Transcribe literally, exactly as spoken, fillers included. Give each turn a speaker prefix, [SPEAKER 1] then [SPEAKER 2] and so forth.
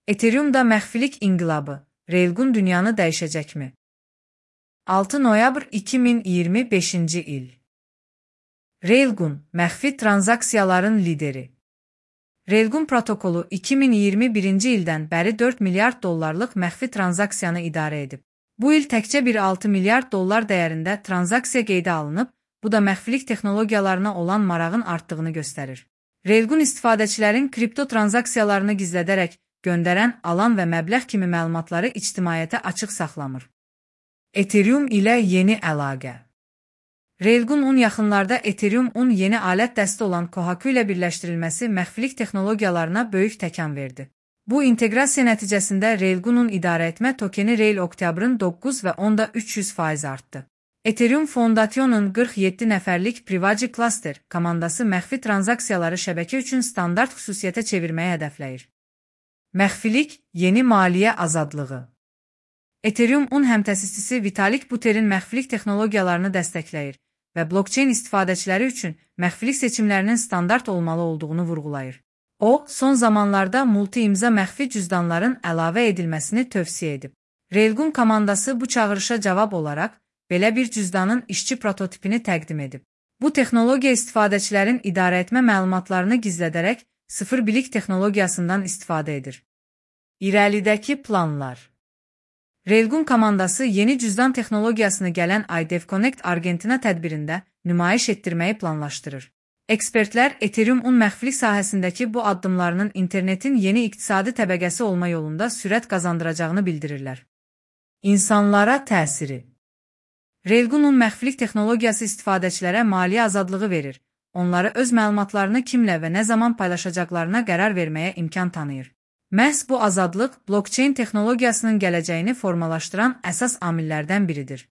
[SPEAKER 1] Ethereum'da məxfilik inqilabı, Railgun dünyanı dəyişəcəkmi? altı noyabr iki min iyirmi beşinci il. Railgun, məxfi tranzaksiyaların lideri. Railgun protokolu iki min iyirmi birinci ildən bəri dörd milyard dollarlıq məxfi tranzaksiyanı idarə edib. Bu il təkcə bir altı milyard dollar dəyərində tranzaksiya qeydə alınıb, bu da məxfilik texnologiyalarına olan marağın artdığını göstərir. Railgun istifadəçilərin kripto tranzaksiyalarını gizlədərək göndərən, alan və məbləğ kimi məlumatları ictimaiyyətə açıq saxlamır. Ethereum ilə yeni əlaqə. Railgun un yaxınlarda Ethereum un yeni alət dəsti olan Kohaku ilə birləşdirilməsi məxfilik texnologiyalarına böyük təkan verdi. Bu inteqrasiya nəticəsində Railgun-un idarəetmə tokeni Rail oktyabrın doqquz və onda üç yüz faiz artdı. Ethereum Foundation'un qırx yeddi nəfərlik Privacy Cluster komandası məxfi tranzaksiyaları şəbəkə üçün standart xüsusiyyətə çevirməyi hədəfləyir. Məxfilik, yeni maliyyə azadlığı. Ethereum un həmtəsisçisi Vitalik Buterin məxfilik texnologiyalarını dəstəkləyir və blockchain istifadəçiləri üçün məxfilik seçimlərinin standart olmalı olduğunu vurğulayır. O, son zamanlarda multi-imza məxfi cüzdanların əlavə edilməsini tövsiyə edib. Railgun komandası bu çağırışa cavab olaraq belə bir cüzdanın işçi prototipini təqdim edib. Bu texnologiya istifadəçilərin idarəetmə məlumatlarını gizlədərək sıfır bilik texnologiyasından istifadə edir. İrəlidəki planlar. Railgun komandası yeni cüzdan texnologiyasını gələn ay DevConnect Argentina tədbirində nümayiş etdirməyi planlaşdırır. Ekspertlər Ethereum un məxfilik sahəsindəki bu addımlarının internetin yeni iqtisadi təbəqəsi olma yolunda sürət qazandıracağını bildirirlər. İnsanlara təsiri. Railgun un məxfilik texnologiyası istifadəçilərə maliyyə azadlığı verir, onları öz məlumatlarını kimlə və nə zaman paylaşacaqlarına qərar verməyə imkan tanıyır. Məhz bu azadlıq blockchain texnologiyasının gələcəyini formalaşdıran əsas amillərdən biridir.